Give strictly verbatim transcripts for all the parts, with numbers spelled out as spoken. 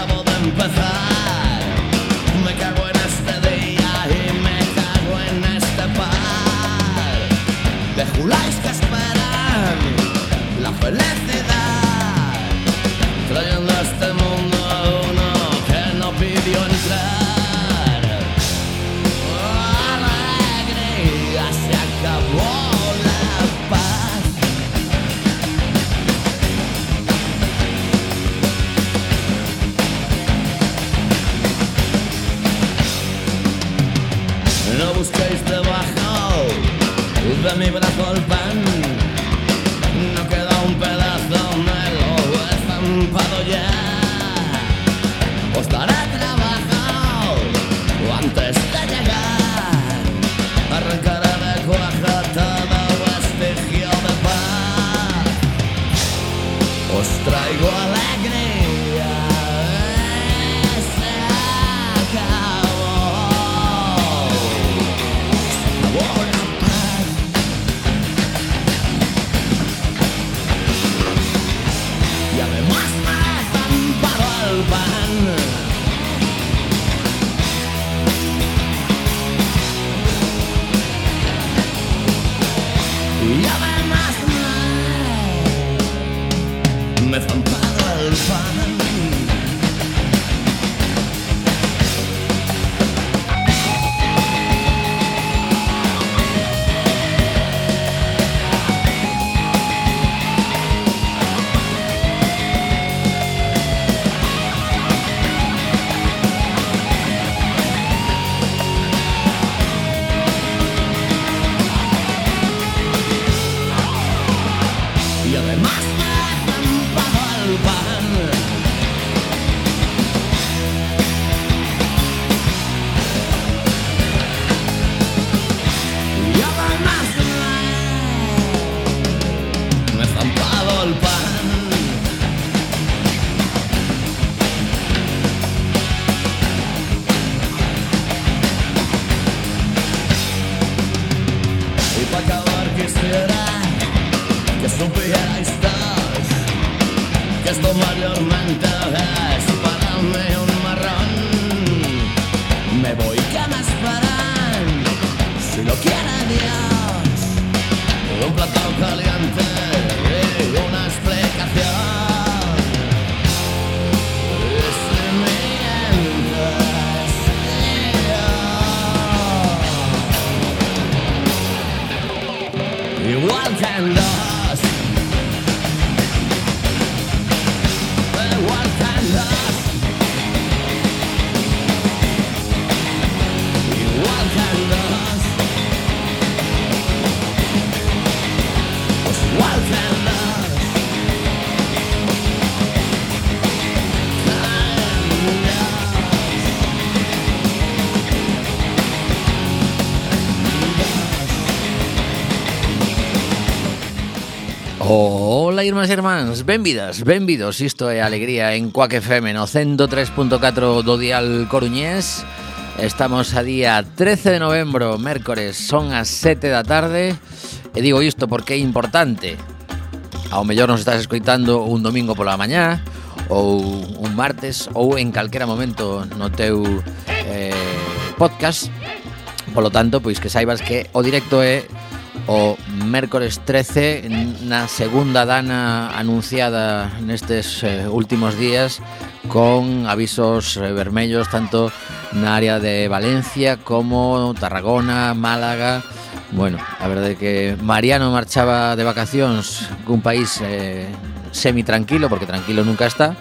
acabo de empezar. Me cago en este día y me cago en este par de juláis que esperan la felicidad, trayendo a este mundo a uno que no pidió entrar. Alegría, se acabó la paz. No busquéis debajo de mi brazo el pan, no queda un pedazo, me lo he estampado ya. Os daré trabajo antes de llegar, arrancaré de cuajo todo vestigio de paz. Os traigo alegría, se acabó, se acabó la paz. Y además me he estampado el pan. Y además me, me he estampado el pan. Y además me he estampado el pan. Y además me, me he estampado el pan. Y para acabar quisiera que supierais todos que esto mayormente es para mí un marrón. Me voy, que me esperan, si lo quiere Dios, un plato caliente y una explicación. Y si mientras yo, igual que en los igual que en los igual que en los pues igual que en los Ola, irmás e irmáns, benvidas, benvidos. Isto é Alegría en Quack F M no cento tres punto catro do dial coruñés. Estamos a día trece de novembro, mércores, son as sete da tarde. E digo isto porque é importante. Ao mellor nos estás escoitando un domingo pola mañá, ou un martes, ou en calquera momento no teu eh, podcast. Polo tanto, pois que saibas que o directo é o mércores trece, na segunda dana anunciada nestes eh, últimos días, con avisos eh, vermellos tanto na área de Valencia como Tarragona, Málaga. Bueno, a verdade é que Mariano marchaba de vacacións cun país eh, semi-tranquilo, porque tranquilo nunca está,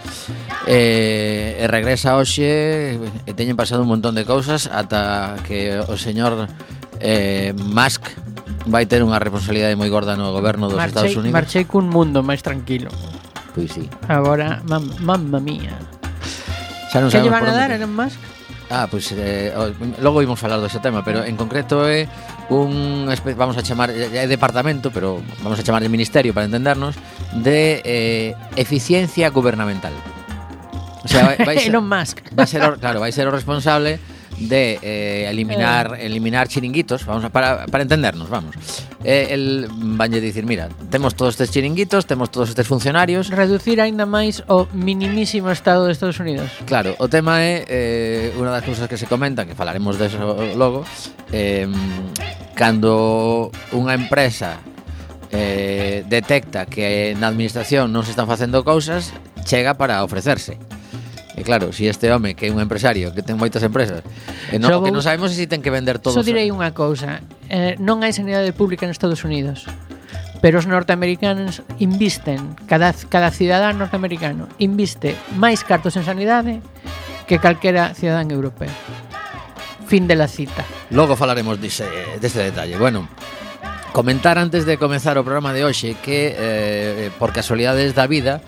e, e regresa hoxe e teñen pasado un montón de cousas ata que o señor eh, Musk vai ter unha responsabilidade moi gorda no goberno dos marchei, Estados Unidos. Marchei cun mundo máis tranquilo. Pois sí. Agora, mam, mamma mía. Xa non Que lle sabemos van por a dar, onde. Elon Musk? Ah, pois eh, logo imos falar dese tema, pero en concreto é un, vamos a chamar, é departamento, pero vamos a chamar de ministerio para entendernos, de eh, eficiencia gubernamental. O sea, vai, vai ser, Elon Musk. vai ser, o, claro, vai ser o responsable de eh, eliminar eh. eliminar chiringuitos, vamos a, para, para entendernos, vamos. Eh, el vanlle dicir, mira, temos todos estes chiringuitos, temos todos estes funcionarios. Reducir aínda máis o minimísimo estado de Estados Unidos. Claro, o tema é eh, unha das cousas que se comentan, que falaremos deso logo, eh, cando unha empresa eh, detecta que na administración non se están facendo cousas, chega para ofrecerse. E claro, si este home que é un empresario que ten moitas empresas e non, vou, que non sabemos se si ten que vender todos. Só direi unha cousa, eh, non hai sanidade pública en Estados Unidos, pero os norteamericanos invisten, cada, cada cidadán norteamericano inviste máis cartos en sanidade que calquera cidadán europeo. Fin de la cita. Logo falaremos dese, deste detalle. Bueno, comentar antes de comezar o programa de hoxe que eh, por casualidades da vida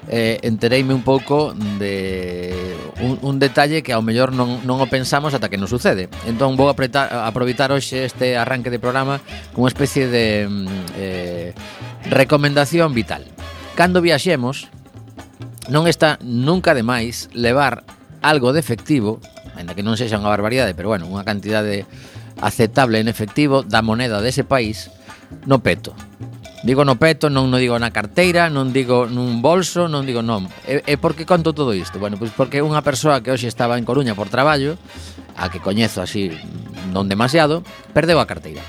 eh, entereime un pouco de un, un detalle que ao mellor non, non o pensamos ata que nos sucede. Entón vou apretar, aproveitar hoxe este arranque de programa con unha especie de eh, recomendación vital. Cando viaxemos non está nunca de máis levar algo de efectivo, ainda que non sexa unha barbaridade, pero bueno, unha cantidade aceptable en efectivo da moneda dese país no peto. Digo no peto, non no digo na carteira, non digo nun bolso, non digo non. E, e por que conto todo isto? Bueno, pois porque unha persoa que hoxe estaba en Coruña por traballo, a que coñezo así non demasiado, perdeu a carteira.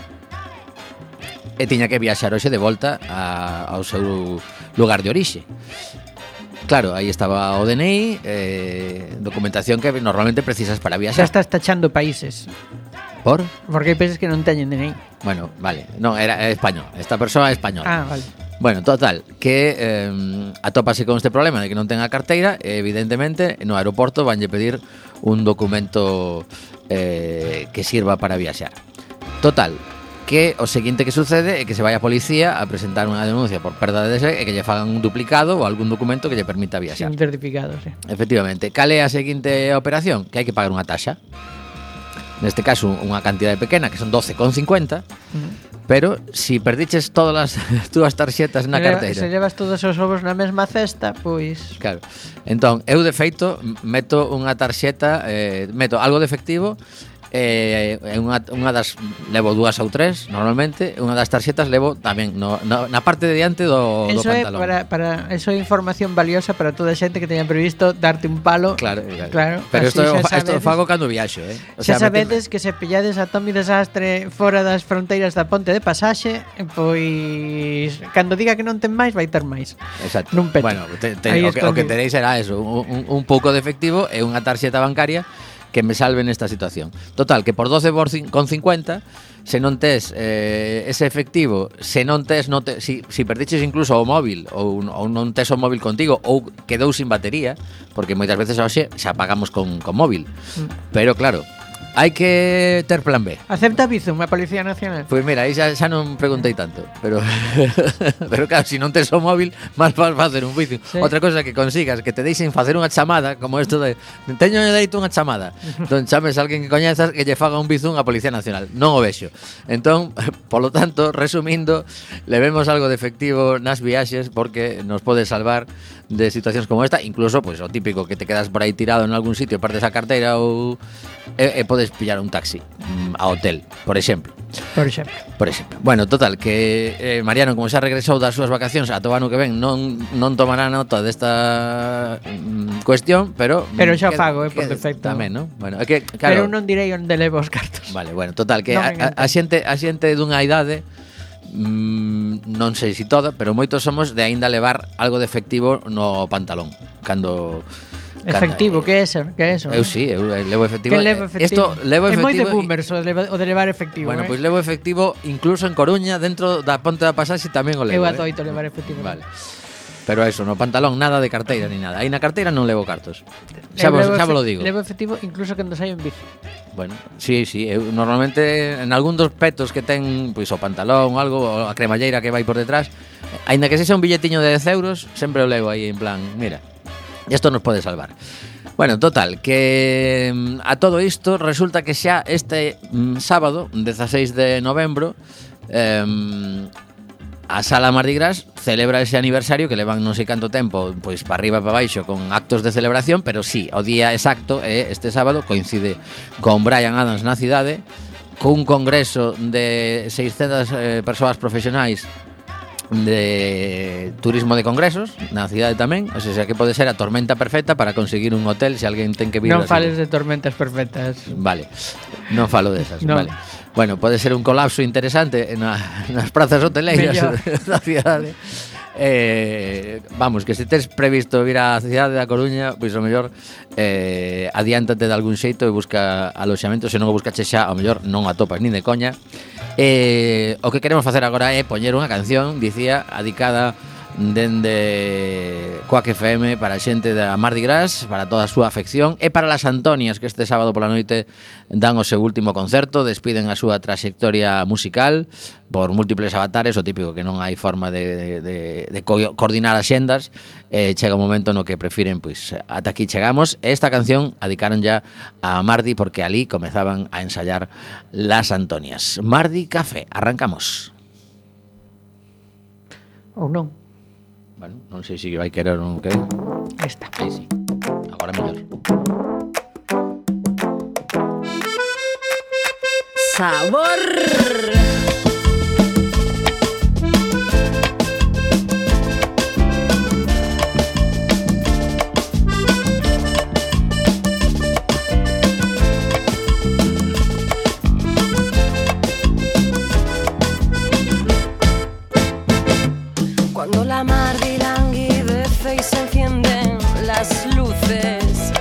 E tiña que viaxar hoxe de volta a, ao seu lugar de orixe. Claro, aí estaba o D N I, eh, documentación que normalmente precisas para viaxar. Xa estás tachando países. Por? Porque hai países que non teñen D N I. Bueno, vale, non, era español. Esta persoa é española. Ah, vale. Bueno, total, que eh, atópase con este problema de que non ten a carteira e evidentemente no aeroporto vanlle pedir un documento eh, que sirva para viaxar. Total, que o seguinte que sucede é que se vai a policía a presentar unha denuncia por perda de dese e que lle fagan un duplicado ou algún documento que lle permita viaxar. Sin certificado, sí. Efectivamente, cal é a seguinte operación? Que hai que pagar unha taxa. Neste caso, unha cantidade pequena, que son doce con cincuenta, mm. pero si perdiches todas as túas tarxetas na carteira, se llevas todos os ovos na mesma cesta, pois... Claro, entón, eu de feito meto unha tarxeta, eh, meto algo de efectivo, eh, unha, unha das levo dúas ou tres normalmente, unha das tarxetas levo tamén no, no, na parte de diante do, do pantalón. É para, para, eso é información valiosa para toda a xente que teña previsto darte un palo. Claro, claro. claro pero isto isto fago cando viaxo, eh. O xa sea, sabedes que se pillades a Tommy Desastre fora das fronteiras da ponte de pasaxe, pois cando diga que non ten máis, vai ter máis. Exacto. Nun peto. Bueno, te, te, o, que, o que tenéis será eso, un, un, un pouco de efectivo e unha tarxeta bancaria que me salve nesta situación. Total, que por doce con cincuenta, se non tes eh, ese efectivo, se non tes, non te, si, si perdiches incluso o móvil ou, ou non tes o móvil contigo ou quedou sin batería, porque moitas veces hoxe xa pagamos con, con móvil. Mm. Pero claro, hai que ter plan B. Acepta Bizum a Policía Nacional? Pois mira, aí xa, xa non preguntei tanto, pero pero claro, se si non tes o móvil, máis vas facer un Bizum. Sí. Outra cosa que consigas que te deixen facer unha chamada, como isto de teño dereito unha chamada. Entón chames a alguén que coñezas que lle faga un Bizum a Policía Nacional. Non o vexo. Entón, polo tanto, resumindo, levemos algo de efectivo nas viaxes porque nos pode salvar de situacións como esta, incluso pois pues, o típico que te quedas por aí tirado en algún sitio, perdes a carteira ou e, e podes pillar un taxi mm, a hotel, por exemplo. Por exemplo. Por exemplo. Bueno, total, que eh, Mariano, como xa regresou das súas vacacións a todo ano que ven, non non tomará nota desta mm, cuestión, pero Pero xa fago, eh, por defecto. Tamén, non? Bueno, é que claro, pero non direi onde levo os cartos. Vale, bueno, total, que no a, a, a xente a xente dunha idade Mm, non sei se si toda, pero moitos somos de aínda levar algo de efectivo no pantalón. Cando efectivo, que é eso? Que é eso? Eu si, sí, eu levo efectivo. Que levo efectivo? Esto levo efectivo. É moi de boomers o de, o de levar efectivo. Bueno, eh? pois pues levo efectivo incluso en Coruña, dentro da Ponte da Pasaxe tamén o levo. Eu atoito eh? levar efectivo. Vale. Pero eso, no pantalón nada de carteira ni nada. Aí na carteira non levo cartos. Xa vos, xa vos lo digo. Levo efectivo incluso cando saio en bici. Bueno, sí, sí, eu normalmente en algún dos petos que ten pois o pantalón ou algo, ou a cremalleira que vai por detrás, aínda que sexa un billetiño de dez euros, sempre o levo aí en plan, mira, isto nos pode salvar. Bueno, total, que a todo isto resulta que xa este mm, sábado, dezaseis de novembro, eh, a Sala Mardi Gras celebra ese aniversario que levan non sei canto tempo, pois para arriba e para baixo con actos de celebración, pero sí, o día exacto é este sábado, coincide con Bryan Adams na cidade, cun congreso de seiscentas eh, persoas profesionais de turismo de congresos na cidade tamén, o sea, que pode ser a tormenta perfecta para conseguir un hotel se alguén ten que vir. Non fales de tormentas perfectas. Vale, non falo desas, no. Vale. Bueno, pode ser un colapso interesante na, nas prazas hoteleiras da cidade. Eh, vamos, que se tes previsto vir á cidade da Coruña, pois o mellor eh, adiántate de algún xeito e busca aloxamento, se non o buscache xa, ao mellor non o atopas nin de coña. Eh, o que queremos facer agora é poñer unha canción, dicía, adicada dende Quack F M para a xente da Mardi Gras, para toda a súa afección, e para las Antonias, que este sábado pola noite dan o seu último concerto, despiden a súa trayectoria musical por múltiples avatares, o típico que non hai forma de, de, de co- coordinar as xendas, eh, chega un momento no que prefiren, pois, ata aquí chegamos. Esta canción adicaron ya a Mardi porque ali comezaban a ensayar las Antonias. Mardi Café, arrancamos. Ou non? Bueno, non sei se vai querer ou non querer. Esta. Aí sí. Agora mellor. Sabor. Cuando la Mardi languidece y se encienden las luces,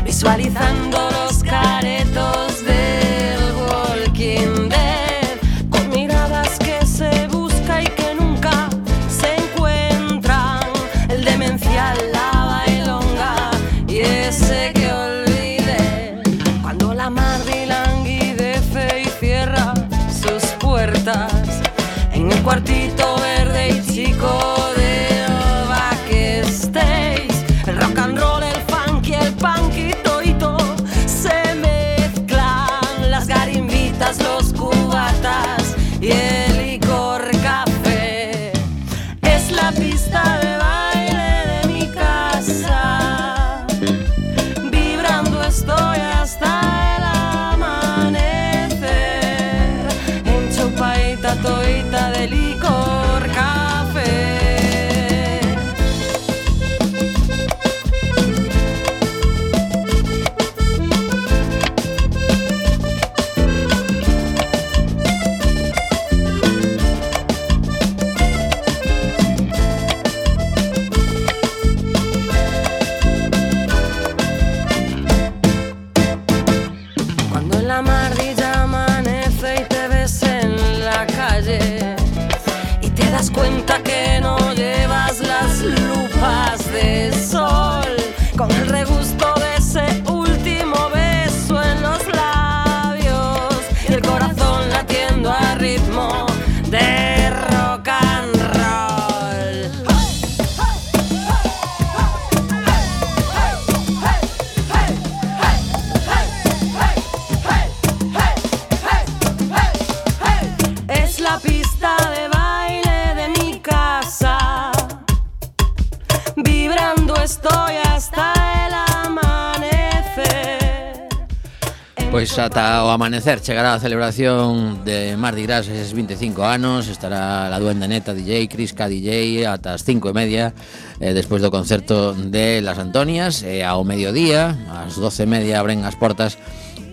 visualizando los caretos del Walking Dead, con miradas que se busca y que nunca se encuentran, el demencial, la bailonga y ese que olvide. Cuando la Mardi languidece y cierra sus puertas en el cuartito verde y chico del backstage, el rock and roll, el funk y el punk y toito se mezclan, las garimbitas, los cubatas y el licor café. Es la pista de baile de mi casa, vibrando estoy hasta el amanecer, enchupadita toita de licor café. Cuando en la Mardi ya amanece y te ves en la calle y te das cuenta que no llevas las lupas de sol, con el regusto de ese último beso en los labios y el corazón latiendo a ritmo de rock and roll. Es la pista de baile de mi casa, vibrando estoy hasta el amanecer. Pois ata o amanecer chegará a celebración de Mardi Gras eses vinte e cinco anos. Estará la Duende Neta D J, Crisca D J ata as cinco e media, eh, despois do concerto de Las Antonias, e ao mediodía, ás doce e media abren as portas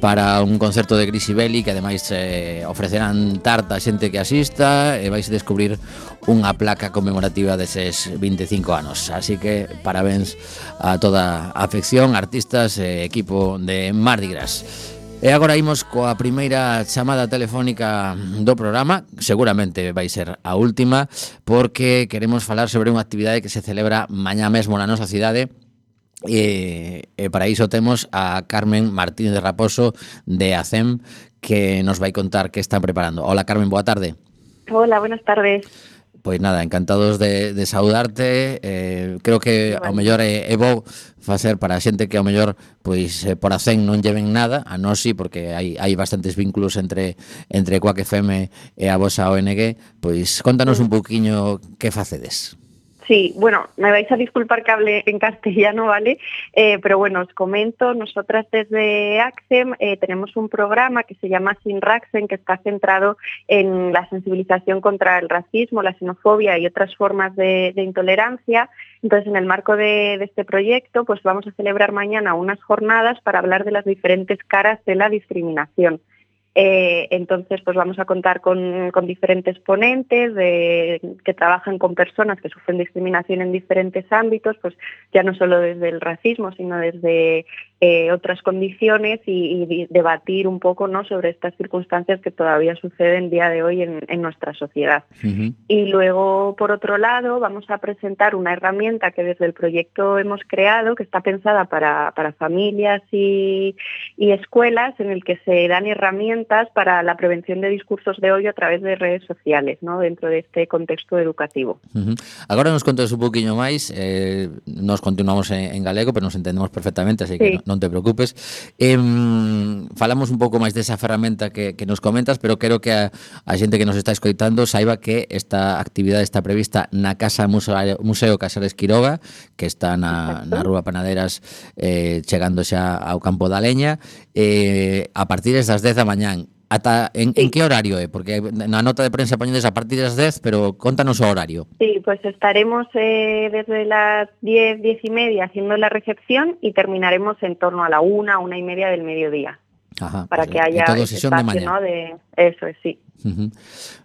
para un concerto de Grisi Belli, que ademais eh, ofrecerán tarta a xente que asista e vais a descubrir unha placa conmemorativa deses vinte e cinco anos. Así que parabéns a toda a afección, artistas e equipo de Mardi Gras. E agora imos coa primeira chamada telefónica do programa, seguramente vai ser a última, porque queremos falar sobre unha actividade que se celebra mañá mesmo na nosa cidade. E, e para iso temos a Carmen Martínez de Raposo de A C E M, que nos vai contar que están preparando. Hola Carmen, boa tarde. Hola, buenas tardes. Pois nada, encantados de, de saudarte. eh, Creo que ao mellor é, é bo facer para a xente que ao mellor pois eh, por a cen non lleven nada, a nós sí, porque hai, hai bastantes vínculos entre entre Quack F M e a vosa O N G. Pois contanos un pouquiño que facedes. Sí, bueno, me vais a disculpar que hable en castellano, ¿vale? Eh, pero bueno, os comento, nosotras desde ACCEM eh, tenemos un programa que se llama Sin Raxen, que está centrado en la sensibilización contra el racismo, la xenofobia y otras formas de, de intolerancia. Entonces, en el marco de, de este proyecto, pues vamos a celebrar mañana unas jornadas para hablar de las diferentes caras de la discriminación. Eh, entonces, pues vamos a contar con, con diferentes ponentes de, que trabajan con personas que sufren discriminación en diferentes ámbitos, pues ya no solo desde el racismo, sino desde eh, otras condiciones y, y debatir un poco, ¿no?, sobre estas circunstancias que todavía suceden día de hoy en, en nuestra sociedad. Uh-huh. Y luego, por otro lado, vamos a presentar una herramienta que desde el proyecto hemos creado, que está pensada para, para familias y, y escuelas, en el que se dan herramientas para la prevención de discursos de odio a través de redes sociales, ¿no?, dentro de este contexto educativo. Uh-huh. Agora nos contas un poquinho máis, eh, nos continuamos en, en galego, pero nos entendemos perfectamente, así que sí, non te preocupes. Eh, falamos un pouco máis desa ferramenta que, que nos comentas, pero quero que a, a xente que nos está escoitando saiba que esta actividade está prevista na Casa Museo, Museo Casares Quiroga, que está na, na Rúa Panaderas, eh, chegando xa ao Campo da Leña, eh, a partir das dez da mañá. Ata en, sí. en que horario é? Porque na nota de prensa poñedes a partir das dez, pero contanos o horario. Sí, pues estaremos eh, desde las diez, diez y media haciendo la recepción y terminaremos en torno a la una, una y media del mediodía. Ajá, para pues, que haya todo ese espacio, ¿no?, de eso es, sí. Uh-huh.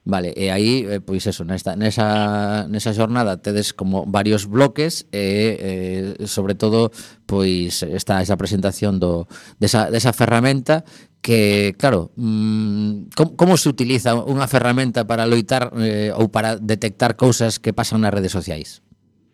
Vale, e aí, eh, pois eso, nesta, nesa, nesa jornada tedes como varios bloques e, eh, sobre todo, pois está esa presentación do, desa, desa ferramenta que, claro, mmm, como, como se utiliza unha ferramenta para loitar eh, ou para detectar cousas que pasan nas redes sociais?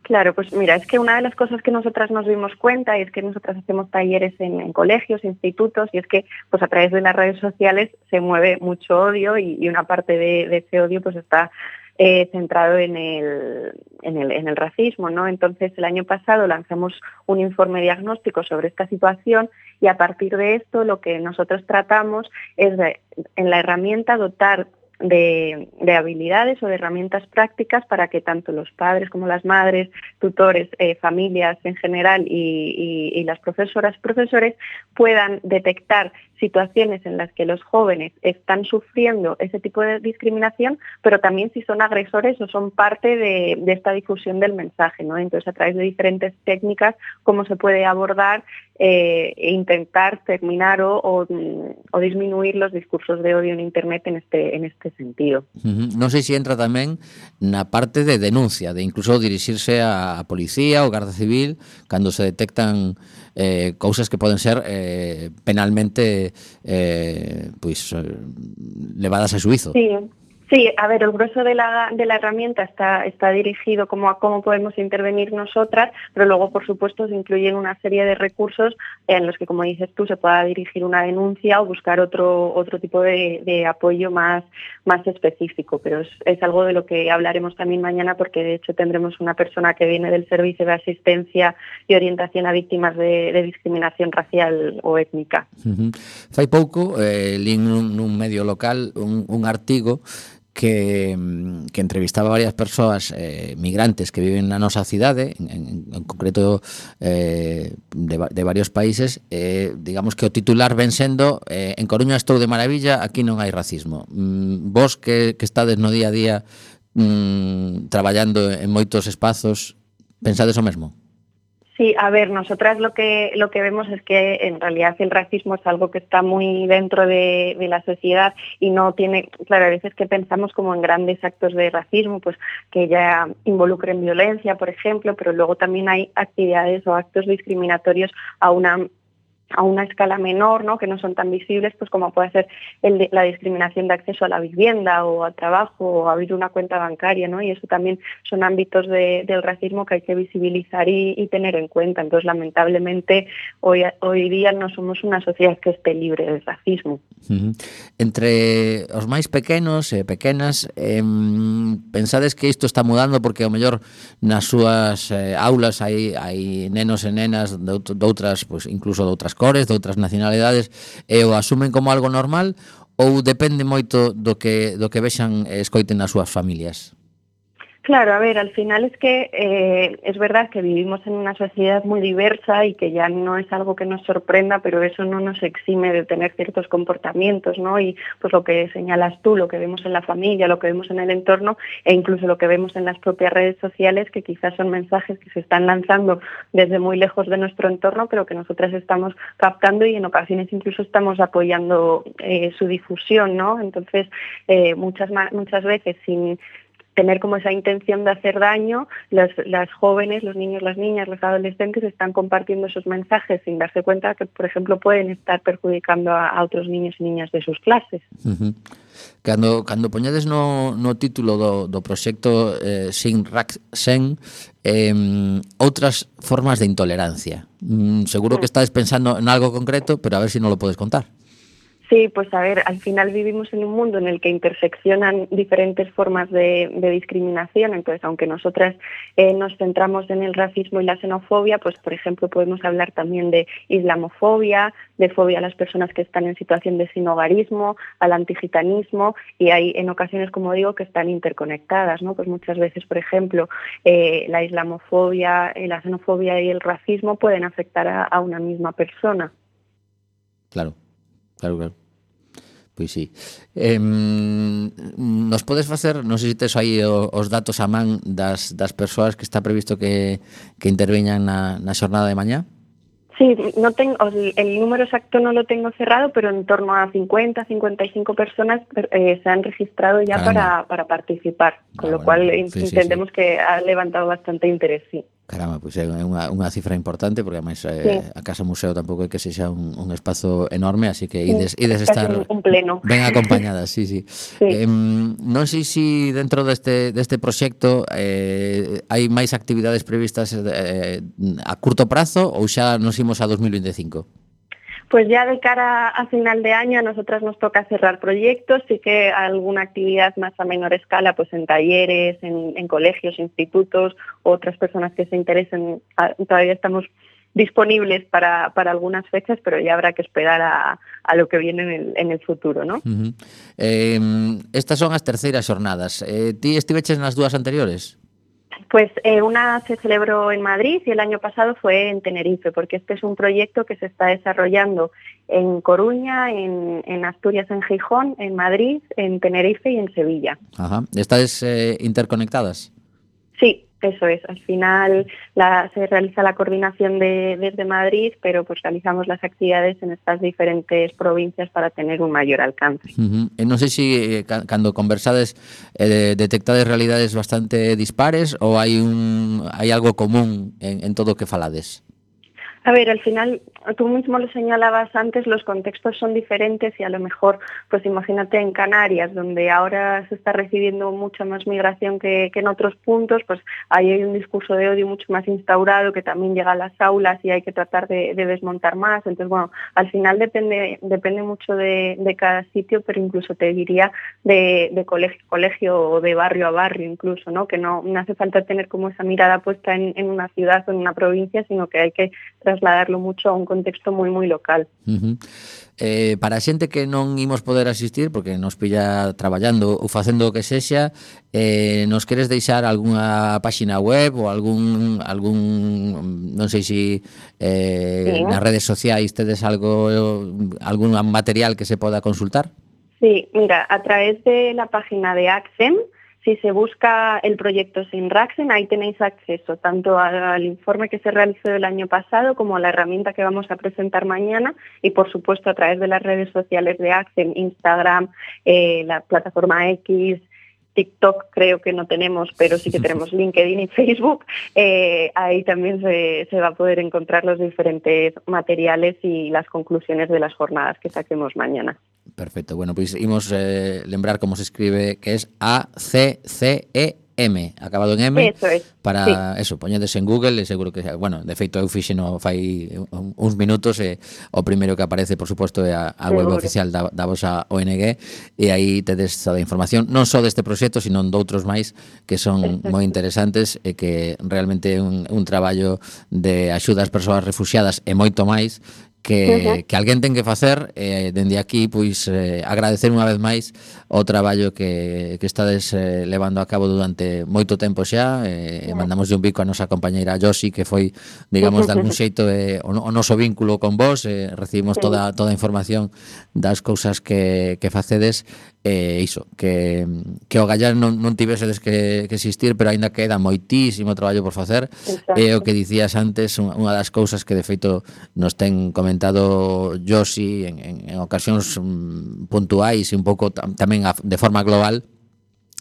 Claro, pues mira, es que una de las cosas que nosotras nos dimos cuenta, y es que nosotras hacemos talleres en, en colegios, institutos, y es que pues a través de las redes sociales se mueve mucho odio y, y una parte de, de ese odio pues está eh, centrado en el, en, el, en el racismo, ¿no? Entonces el año pasado lanzamos un informe diagnóstico sobre esta situación y a partir de esto lo que nosotros tratamos es de, en la herramienta dotar De, de habilidades o de herramientas prácticas para que tanto los padres como las madres, tutores, eh, familias en general y, y, y las profesoras y profesores puedan detectar situaciones en las que los jóvenes están sufriendo ese tipo de discriminación, pero también si son agresores o son parte de, de esta difusión del mensaje, ¿no? Entonces, a través de diferentes técnicas, cómo se puede abordar eh, e intentar terminar o, o, o disminuir los discursos de odio en Internet en este, en este sentido. Uh-huh. Non sei se entra tamén na parte de denuncia, de incluso dirixirse a policía ou garda civil cando se detectan eh, cousas que poden ser eh, penalmente eh, pues, eh, levadas a xuizo. Sí. Sí, a ver, el grueso de la, de la herramienta está, está dirigido como a cómo podemos intervenir nosotras, pero luego, por supuesto, se incluyen una serie de recursos en los que, como dices tú, se pueda dirigir una denuncia o buscar otro, otro tipo de, de apoyo más, más específico. Pero es, es algo de lo que hablaremos también mañana, porque de hecho tendremos una persona que viene del Servicio de Asistencia y Orientación a Víctimas de, de Discriminación Racial o Étnica. Uh-huh. Fai pouco, eh, li nun, nun medio local un, un artigo que, que entrevistaba a varias persoas eh, migrantes que viven na nosa cidade, en, en, en concreto eh, de, de varios países, eh, digamos que o titular ven sendo eh, en Coruña estou de maravilla, aquí non hai racismo. Mm, vos que, que estades no día a día mm, traballando en moitos espazos, pensades o mesmo? Sí, a ver, nosotras lo que lo que vemos es que en realidad el racismo es algo que está muy dentro de, de la sociedad y no tiene, claro, a veces que pensamos como en grandes actos de racismo, pues que ya involucren violencia, por ejemplo, pero luego también hay actividades o actos discriminatorios a una a una escala menor, ¿no? Que no son tan visibles, pues como puede ser el de, la discriminación de acceso a la vivienda o al trabajo o abrir una cuenta bancaria, ¿no? Y eso también son ámbitos de, del racismo que hay que visibilizar y, y tener en cuenta. Entonces, lamentablemente, hoy, hoy día no somos una sociedad que esté libre del racismo. Uh-huh. Entre os máis pequenos e pequenas, eh, pensades que isto está mudando porque ao mellor nas súas eh, aulas hai, hai nenos e nenas de, de outras, pues, incluso de outras cores, de outras nacionalidades, e o asumen como algo normal, ou depende moito do que, do que vexan e escoiten nas súas familias? Claro, a ver, al final es que eh, es verdad que vivimos en una sociedad muy diversa y que ya no es algo que nos sorprenda, pero eso no nos exime de tener ciertos comportamientos, ¿no? Y pues lo que señalas tú, lo que vemos en la familia, lo que vemos en el entorno e incluso lo que vemos en las propias redes sociales, que quizás son mensajes que se están lanzando desde muy lejos de nuestro entorno, pero que nosotras estamos captando y en ocasiones incluso estamos apoyando eh, su difusión, ¿no? Entonces, eh, muchas, muchas veces sin tener como esa intención de hacer daño, las, las jóvenes, los niños, las niñas, los adolescentes están compartiendo esos mensajes sin darse cuenta que, por ejemplo, pueden estar perjudicando a, a otros niños y niñas de sus clases. Uh-huh. Cando, cando poñades no, no título do, do proxecto eh, Sin Raxen, eh, outras formas de intolerancia. Mm, seguro que estás pensando en algo concreto, pero a ver si no lo puedes contar. Sí, pues a ver, al final vivimos en un mundo en el que interseccionan diferentes formas de, de discriminación, entonces aunque nosotras eh, nos centramos en el racismo y la xenofobia, pues por ejemplo podemos hablar también de islamofobia, de fobia a las personas que están en situación de sinhogarismo, al antigitanismo, y hay en ocasiones, como digo, que están interconectadas, ¿no? Pues muchas veces, por ejemplo, eh, la islamofobia, eh, la xenofobia y el racismo pueden afectar a, a una misma persona. Claro. Claro, claro. Pois sí. Eh, nos podes facer, non sei se tes aí os datos a man das, das persoas que está previsto que, que interveñan na, na xornada de mañá? Sí, no tengo, el número exacto no lo tengo cerrado, pero en torno a cincuenta, cincuenta y cinco personas eh, se han registrado ya para, para participar, con ah, lo bueno, cual sí, entendemos sí, sí. que ha levantado bastante interés, sí. Caramba, pois é unha, unha cifra importante, porque además eh, sí. a Casa Museo tampouco é que sexa un, un espazo enorme, así que ides, ides estar un, un pleno. ben acompañadas, sí, sí. sí. Eh, non sei se dentro deste, deste proxecto eh, hai máis actividades previstas eh, a curto prazo ou xa nos imos a dos mil veinticinco? Pues ya de cara a final de año a nosotras nos toca cerrar proyectos, sí que alguna actividad más a menor escala, pues en talleres, en, en colegios, institutos, otras personas que se interesen, todavía estamos disponibles para, para algunas fechas, pero ya habrá que esperar a, a lo que viene en el, en el futuro, ¿no? Uh-huh. eh, estas son as terceiras xornadas. Eh, ti estiveches nas dúas anteriores? Pues eh, una se celebró en Madrid y el año pasado fue en Tenerife, porque este es un proyecto que se está desarrollando en Coruña, en, en Asturias, en Gijón, en Madrid, en Tenerife y en Sevilla. Ajá. ¿Estáis eh, interconectadas? Sí. Eso es, al final la, se realiza la coordinación de, desde Madrid, pero pues realizamos las actividades en estas diferentes provincias para tener un mayor alcance. Uh-huh. E non sei se eh, cando conversades eh, detectades realidades bastante dispares ou hai un hai algo común en, en todo o que falades? A ver, al final, tú mismo lo señalabas antes, los contextos son diferentes y a lo mejor, pues imagínate en Canarias, donde ahora se está recibiendo mucha más migración que, que en otros puntos, pues ahí hay un discurso de odio mucho más instaurado que también llega a las aulas y hay que tratar de, de desmontar más. Entonces, bueno, al final depende depende mucho de, de cada sitio, pero incluso te diría de, de colegio a colegio o de barrio a barrio incluso, ¿no? Que no, no hace falta tener como esa mirada puesta en, en una ciudad o en una provincia, sino que hay que trasladarlo mucho a un contexto moi moi local. Uh-huh. Eh, para a xente que non imos poder asistir porque nos pilla traballando ou facendo o que sexa, eh, nos queres deixar algunha páxina web ou algún algún non sei se eh, sí. nas redes sociais tedes algo algún material que se poda consultar? Sí, mira, a través de la página de ACCEM, si se busca el proyecto Sin Raxen, ahí tenéis acceso tanto al informe que se realizó el año pasado como a la herramienta que vamos a presentar mañana y, por supuesto, a través de las redes sociales de ACCEM, Instagram, eh, la plataforma X TikTok creo que no tenemos, pero sí que tenemos LinkedIn y Facebook. Eh, ahí también se, se va a poder encontrar los diferentes materiales y las conclusiones de las jornadas que saquemos mañana. Perfecto, bueno, pois imos eh, lembrar como se escribe, que es A C C E M, acabado en M. Eso es, para sí. eso, poñedes en Google e seguro que, bueno, de feito eu fixeno fai uns minutos e o primeiro que aparece, por suposto, é a, a web Seguro. oficial da, da vosa O N G e aí tedes toda a información, non só deste proxecto, sino doutros máis que son Exacto. moi interesantes e que realmente é un, un traballo de axuda ás persoas refuxiadas e moito máis que, que alguén ten que facer e eh, dende aquí pois eh, agradecer unha vez máis o traballo que, que estades eh, levando a cabo durante moito tempo xa e eh, mandamos un bico a nosa compañeira Josi, que foi, digamos, de algún xeito eh, o, o noso vínculo con vos, eh, recibimos toda toda a información das cousas que, que facedes e eh, iso, que, que o Gallar non, non tivesedes que, que existir, pero aínda queda moitísimo traballo por facer. E o que dicías antes, unha das cousas que de feito nos ten comentado Josi en, en, en ocasións um, puntuais e un pouco tam, tamén a, de forma global,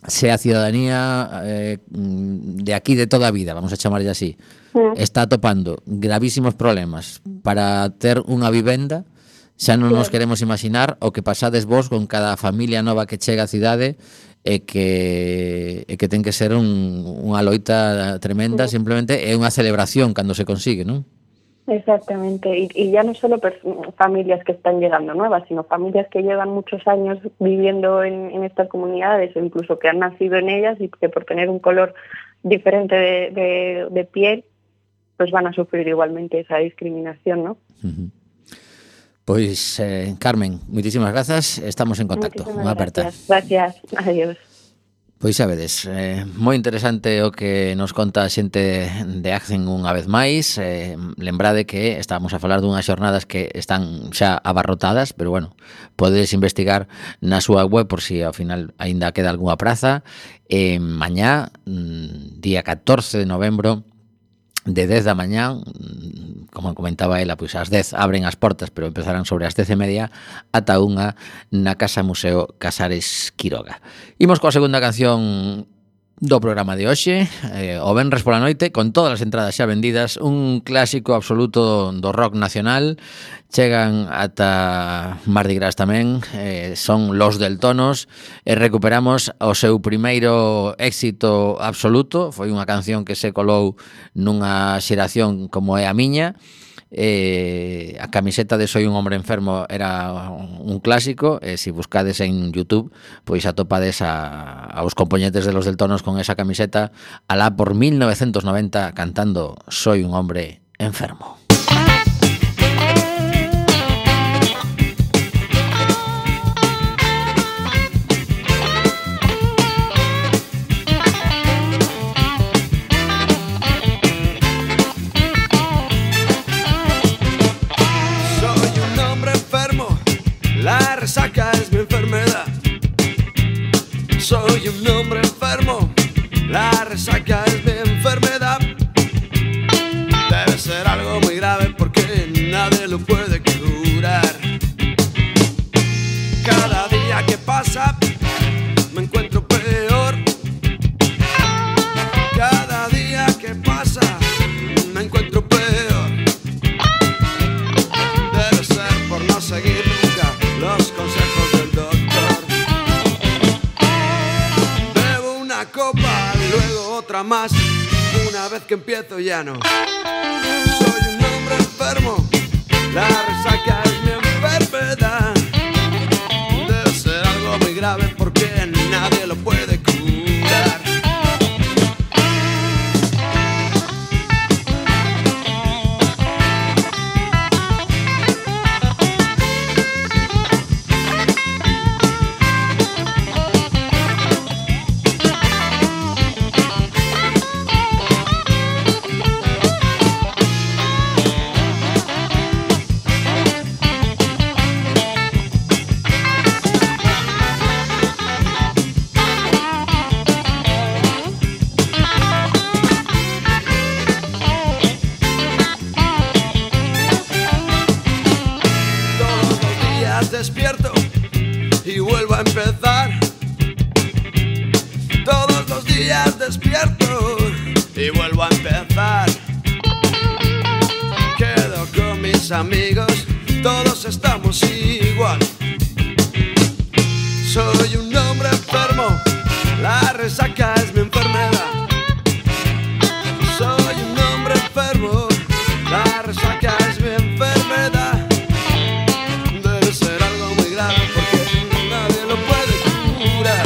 se a ciudadanía eh, de aquí de toda a vida, vamos a chamarlle así, está atopando gravísimos problemas para ter unha vivenda, xa non nos queremos imaginar o que pasades vos con cada familia nova que chega á cidade e que, e que ten que ser un, unha loita tremenda, simplemente é unha celebración cando se consigue, non? Exactamente, y, y ya no solo familias que están llegando nuevas, sino familias que llevan muchos años viviendo en, en estas comunidades o incluso que han nacido en ellas y que por tener un color diferente de, de, de piel, pues van a sufrir igualmente esa discriminación, ¿no? Uh-huh. Pois, eh, Carmen, moitísimas grazas, estamos en contacto. Unha aperta. Gracias, adiós. Pois xa vedes, eh, moi interesante o que nos conta a xente de Accen unha vez máis. Eh, lembrade que estábamos a falar dunhas xornadas que están xa abarrotadas, pero bueno, podedes investigar na súa web por si ao final aínda queda algunha praza. Eh, mañá, día catorce de novembro, de dez da mañá, como comentaba ela, pois ás dez abren as portas, pero empezarán sobre as dez e media ata unha na Casa Museo Casares Quiroga. Imos coa segunda canción do programa de hoxe, eh, o venres pola noite, con todas as entradas xa vendidas, un clásico absoluto do rock nacional. Chegan ata Mardi Gras tamén, eh, son Los Deltonos, e recuperamos o seu primeiro éxito absoluto. Foi unha canción que se colou nunha xeración como é a miña. Eh, a camiseta de Soy un hombre enfermo era un clásico, e se buscades en YouTube pois atopades a, aos componentes de Los Deltonos con esa camiseta alá por mil novecientos noventa cantando Soy un hombre enfermo. La resaca es mi enfermedad. Soy un hombre enfermo. La resaca es mi enfermedad. Debe ser algo muy grave porque nadie lo puede curar. Cada día que pasa me encuentro peor. Cada día que pasa me encuentro peor. Debe ser por no seguir los consejos del doctor. Bebo una copa, luego otra más. Una vez que empiezo ya no. Soy un hombre enfermo. La resaca es mi enfermedad. Debe ser algo muy grave porque nadie lo puede curar. Despierto y vuelvo a empezar. despierto y vuelvo a empezar. Quedo con mis amigos, todos estamos igual. Soy un hombre enfermo, la resaca es mi enfermedad. Soy un hombre enfermo, la resaca es mi enfermedad. Debe ser algo muy grave porque nadie lo puede curar.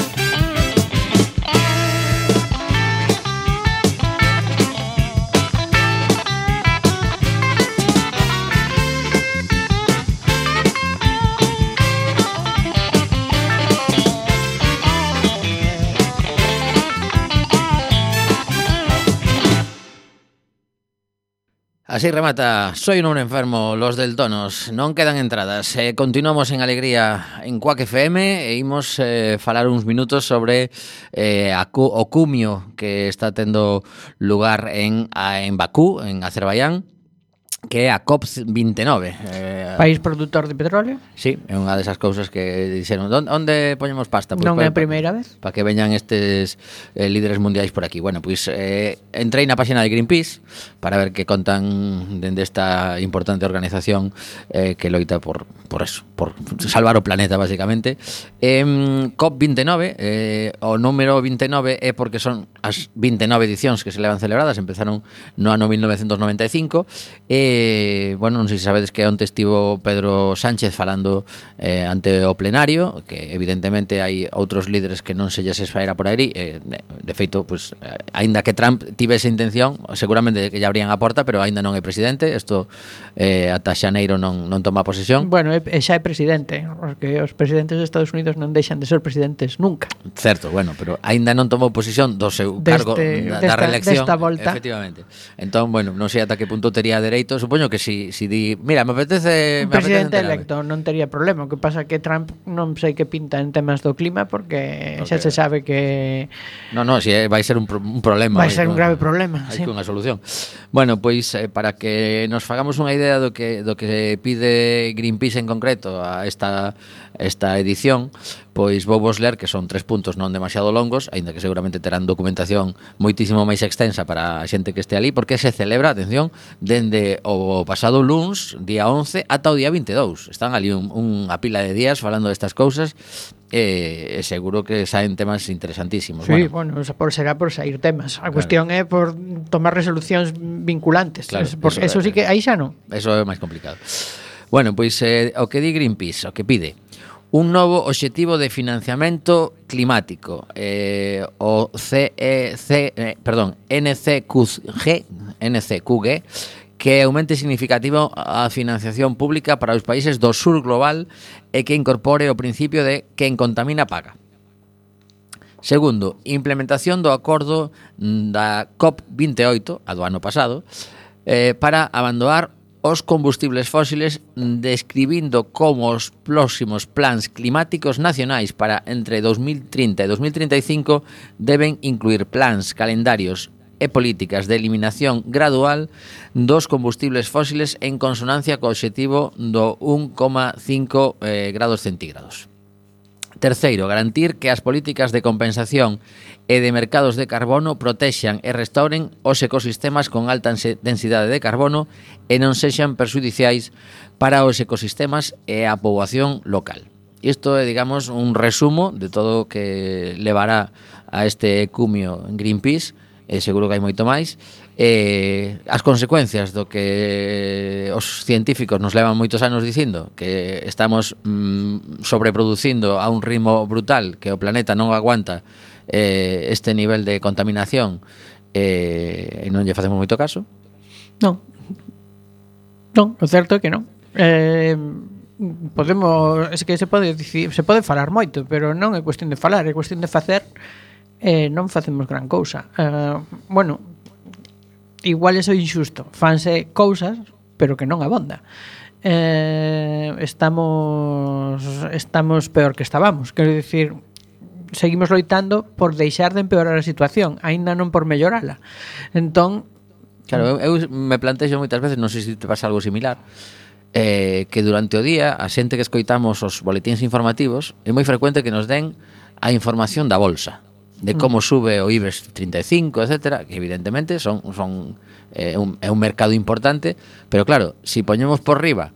Así remata Soy un hombre enfermo, los del Tonos. Non quedan entradas. Eh, continuamos en Alegría en Quack F M e imos eh, falar uns minutos sobre eh, a, o cumio que está tendo lugar en, a, en Bakú, en Azerbaiyán, que é a COP veintinueve. Eh, País productor de petróleo. Sí, é unha desas cousas que dixeron, onde, onde poñemos pasta? Pues Non é a pa, primeira vez. Para que veñan estes eh, líderes mundiais por aquí. Bueno, pois eh, entrei na página de Greenpeace para ver que contan dende esta importante organización eh, que loita por, por eso, por salvar o planeta, basicamente. Eh, COP veintinueve, eh, o número veintinueve é porque son as veintinueve edicións que se levan celebradas, empezaron no ano mil novecientos noventa e cinco, e Eh, bueno, non sei se sabedes que onte estivo Pedro Sánchez falando eh, ante o plenario, que evidentemente hai outros líderes que non se lles esfaera por aí, eh, de feito, pues, aínda que Trump tivese intención, seguramente que lle abrían a porta, pero aínda non é presidente, isto eh, ata xaneiro non, non toma posesión. Bueno, é, xa é presidente, porque os presidentes de Estados Unidos non deixan de ser presidentes nunca. Certo, bueno, pero aínda non tomou posesión do seu Deste, cargo da, desta, da reelección, desta volta. Efectivamente. Entón, bueno, non sei ata que punto tería dereito. Supoño que si, si di, mira, me apetece... Un me presidente apetece electo non tería problema. O que pasa que Trump non sei que pinta en temas do clima porque, porque xa se sabe que... No, no, si vai ser un, pro, un problema. Vai ser un grave problema, hai sí. que unha solución. Bueno, pois eh, para que nos fagamos unha idea do que do que pide Greenpeace en concreto a esta esta edición, pois vou vos ler, que son tres puntos non demasiado longos, aínda que seguramente terán documentación moitísimo máis extensa para a xente que este ali, porque se celebra, atención, dende o pasado luns, día once, ata o día veintidós. Están ali un, unha pila de días falando destas cousas, e eh, seguro que saen temas interesantísimos. Sí, bueno, bueno, por, será por sair temas. A cuestión é por tomar resolucións vinculantes. Claro, por, eso, eso sí que aí xa non. Eso é máis complicado. Bueno, pois eh, o que di Greenpeace, o que pide un novo obxectivo de financiamento climático, eh, o C E C, eh, perdón, N C Q G, N C Q G, que aumente significativo a financiación pública para os países do sur global e que incorpore o principio de quen contamina paga. Segundo, implementación do acordo da COP veintiocho, a do ano pasado, eh, para abandonar os combustibles fósiles, describindo como os próximos plans climáticos nacionais para entre dos mil trinta e dos mil treinta e cinco deben incluir plans, calendarios e políticas de eliminación gradual dos combustibles fósiles en consonancia co obxectivo do un coma cinco eh, grados centígrados. Terceiro, garantir que as políticas de compensación e de mercados de carbono protexan e restauren os ecosistemas con alta densidade de carbono e non sexan perxudiciais para os ecosistemas e a poboación local. Isto é, digamos, un resumo de todo o que levará a este cumio en Greenpeace, e seguro que hai moito máis. Eh, as consecuencias do que os científicos nos levan moitos anos dicindo, que estamos mm, sobreproducindo a un ritmo brutal, que o planeta non aguanta eh, este nivel de contaminación, eh, e non lle facemos moito caso. Non. Non, o certo é que non. Eh, podemos, es que se pode dicir, se pode falar moito, pero non é cuestión de falar, é cuestión de facer. Eh, non facemos gran cousa. Eh, bueno, igual é injusto, fanse cousas, pero que non abonda. Eh, estamos estamos peor que estábamos, quero dicir, seguimos loitando por deixar de empeorar a situación, aínda non por mellorala. Entón, claro, eu, eu me plantexo moitas veces, non sei se te pasa algo similar, eh, que durante o día a xente que escoitamos os boletíns informativos é moi frecuente que nos den a información da bolsa. de como sube o IBEX treinta e cinco, etcétera, que evidentemente son son eh, un, é un mercado importante, pero claro, si poñemos por riba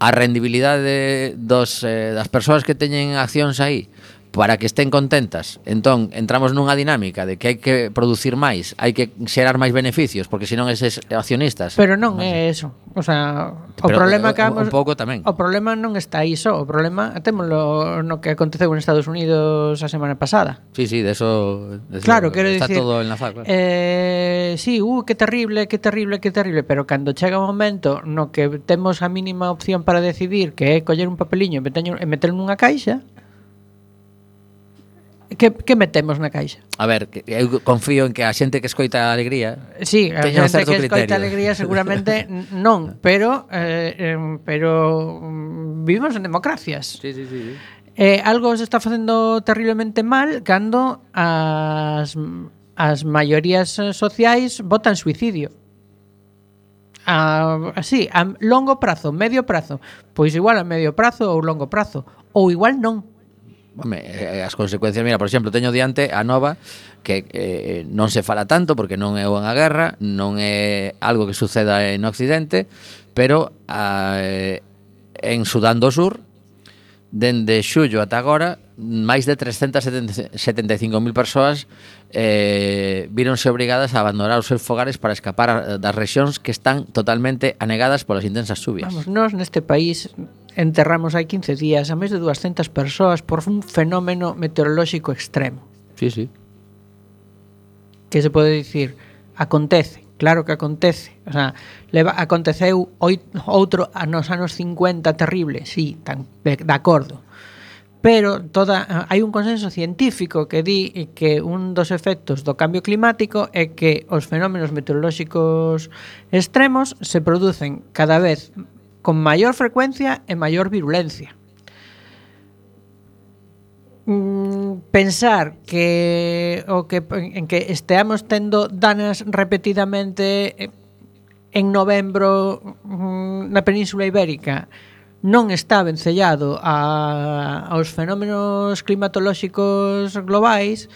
a rendibilidade dos, eh, das persoas que teñen accións aí para que estén contentas, entón entramos nunha dinámica de que hai que producir máis, hai que xerar máis beneficios, porque senón eses accionistas. Pero non é eso. O sea, o Pero problema un, que vamos, un pouco tamén. O problema non está aí só, o problema témolo no que aconteceu en Estados Unidos a semana pasada. Sí, sí, de eso, de eso Claro, quero está dicir, todo enlazado, claro. Eh, sí, uh, que terrible, que terrible, que terrible, pero cando chega un momento no que temos a mínima opción para decidir, que é coller un papeliño e meterlo e meterlo nunha caixa, Que, que metemos na caixa? A ver, que eu confío en que a xente que escoita a Alegría Sí, a teña un xente certo que escoita criterio. Alegría seguramente non, pero eh, eh, pero mm, vivimos en democracias. Sí, sí, sí, sí. Eh, algo se está facendo terriblemente mal cando as as maiorías sociais votan suicidio. A, así, a longo prazo, medio prazo, pois igual a medio prazo ou longo prazo, ou igual non. Home, eh, as consecuencias, mira, por exemplo, teño diante a nova que eh, non se fala tanto porque non é unha guerra, non é algo que suceda en Occidente, pero eh, en Sudán do Sur, dende xullo ata agora, máis de trescentas setenta e cinco mil persoas eh, víronse obrigadas a abandonar os seus fogares para escapar das rexións que están totalmente anegadas polas intensas chuvias. Vamos, nós neste país enterramos hai quince días a máis de dúascentas persoas por un fenómeno meteorolóxico extremo. Sí, sí. Que se pode dicir, acontece, claro que acontece. O sea, leva, aconteceu oito, outro a nos anos cincuenta terrible, sí, tan, de, de acordo. Pero toda hai un consenso científico que di que un dos efectos do cambio climático é que os fenómenos meteorolóxicos extremos se producen cada vez con maior frecuencia e maior virulencia. Mm, pensar que o que en que esteamos tendo danas repetidamente en novembro mm, na Península Ibérica non está vencellado a, aos fenómenos climatolóxicos globais,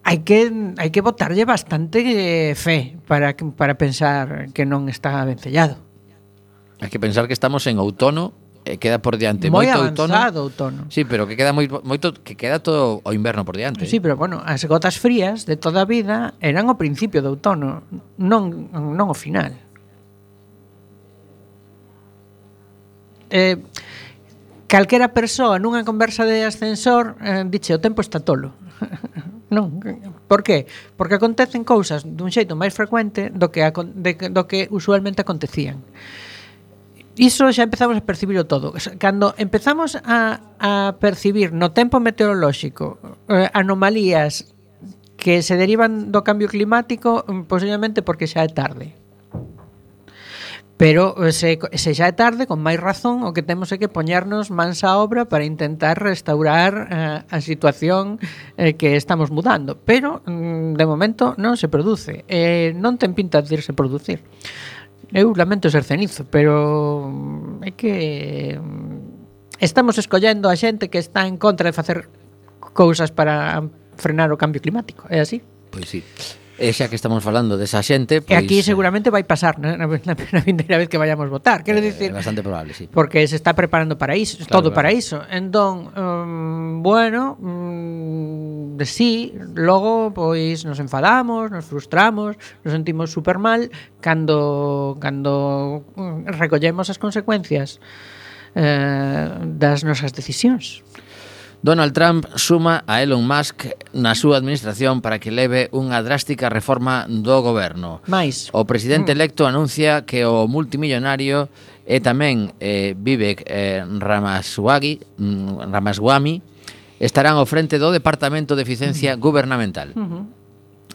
hai que hai que botarlle bastante fe para para pensar que non está vencellado. Hai que pensar que estamos en outono e queda por diante moi moito avanzado outono. outono. Sí, pero que queda moi, moito que queda todo o inverno por diante. Sí, pero bueno, as gotas frías de toda a vida eran o principio do outono, non non o final. Eh, calquera persoa nunha conversa de ascensor eh, diche o tempo está tolo. Non, por qué? Porque acontecen cousas dun xeito máis frecuente do que, de, do que usualmente acontecían. Iso xa empezamos a percibirlo todo. Cando empezamos a, a percibir no tempo meteorolóxico eh, anomalías que se derivan do cambio climático, posiblemente porque xa é tarde. Pero se, se xa é tarde, con máis razón, o que temos é que poñernos mans á obra para intentar restaurar eh, a situación eh, que estamos mudando. Pero, mm, de momento, non se produce. Eh, non ten pinta de irse producir. Eu lamento ser cenizo, pero é que estamos escollendo a xente que está en contra de facer cousas para frenar o cambio climático. É así? Pois sí. E xa que estamos falando desa xente, pois, e aquí eh, seguramente vai pasar na, na, na vindeira vez que vayamos votar. Quero dicir, é bastante probable, sí. Porque se está preparando para iso, claro, todo claro. para iso. Entón, um, bueno, um, de sí, logo pois nos enfadamos, nos frustramos, nos sentimos super mal cando cando um, recollemos as consecuencias eh, das nosas decisións. Donald Trump suma a Elon Musk na súa administración para que leve unha drástica reforma do goberno. Mais. O presidente electo anuncia que o multimillonario e tamén eh, Vivek eh, Ramaswamy, mm, Ramaswamy estarán ao frente do Departamento de Eficiencia Gubernamental. Uh-huh.